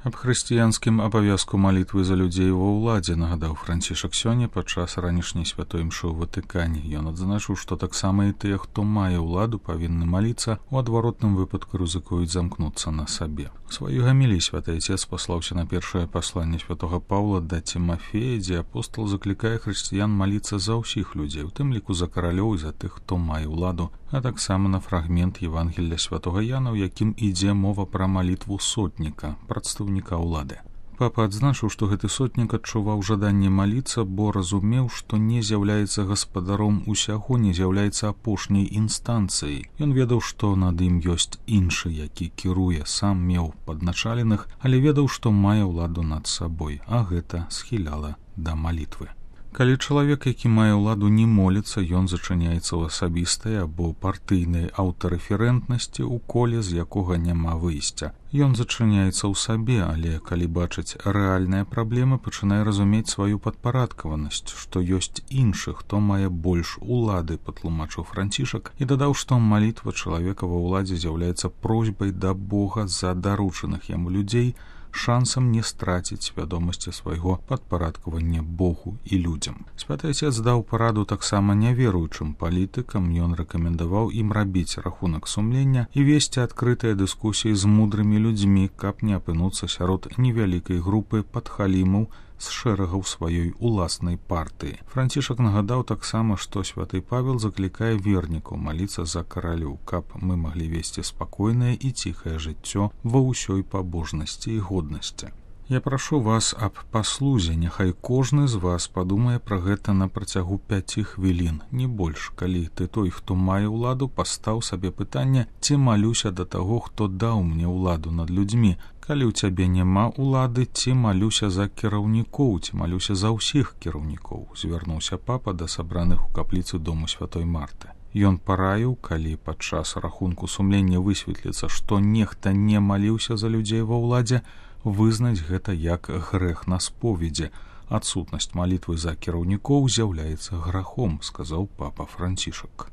Аб хрысціянскім абавязку малітвы за людзей ва ўладзе нагадаў Францішак сёння падчас ранішняй святой імшы ў Ватыкане. Ён адзначыў, што таксама і тыя, хто мае ўладу, павінны маліцца, у адваротным выпадку рызыкуюць замкнуцца на сабе. У сваёй гаміліі святы Отец паслаўся на першае пасланне святога Паўла да Тимофея, дзе апостол заклікае хрысціян маліцца за ўсіх людзей, у тым ліку за каралёў і за тых, хто мае ўладу, а таксама на фрагмент Евангелля святога Яна, у якім ідзе мова пра малітву сотніка, прадстаўніка ўлады. Папа адзначыў, што гэты сотнік адчуваў жаданне маліцца, бо разумеў, што не з'яўляецца гаспадаром усяго, не з'яўляецца апошняй інстанцыяй. Ён ведаў, што над ім ёсць іншы, які кіруе, сам меў падначаленых, але ведаў, што мае ўладу над сабой, а гэта схіляла да малітвы. Калі чалавек, які мае ўладу, не моліцца, ён зачыняецца ў асабістай або партыйнай аўтарэферэнтнасці ў коле, з якога няма выйсця. Ён зачыняецца ў сабе, але калі бачыць рэальныя праблемы, пачынае разумець сваю падпарадкаванасць, што ёсць іншы, хто мае больш улады, патлумачыў Францішак, і дадаў, што малітва чалавека ва ўладзе з'яўляецца просьбай да Бога за даручаных яму людзей, шансам не страціць свядомасці свайго падпарадкавання Богу і людзям. Святы Отец даў параду таксама няверуючым палітыкам, ён рэкамендаваў ім рабіць рахунак сумлення і весці адкрытыя дыскусіі з мудрымі людзьмі, каб не апынуцца сярод невялікай групы падхалімаў з шэрагаў сваёй уласнай партыі. Францішак нагадаў таксама, што святы Павел заклікае вернікаў маліцца за каралёў, каб мы маглі весці спакойнае і ціхае жыццё ва ўсёй пабожнасці і годнасці. Я прашу вас аб паслузе, няхай кожны з вас падумае пра гэта на працягу 5 хвілін, не больш, калі ты той, хто мае ўладу, пастаў сабе пытанне, ці малюся да таго, хто даў мне ўладу над людзьмі. Калі ў цябе няма ўлады, ці малюся за кіраўнікоў, ці малюся за ўсіх кіраўнікоў, звярнуўся папа да сабраных у капліцы дому святой Марты. Ён параіў, калі падчас рахунку сумлення высветліцца, што нехта не маліўся за людзей ва ўладзе, вызнаць гэта як грэх на споведзе. Адсутнасць малітвы за кіраўнікоў з'яўляецца грахом, сказаў папа Францішак.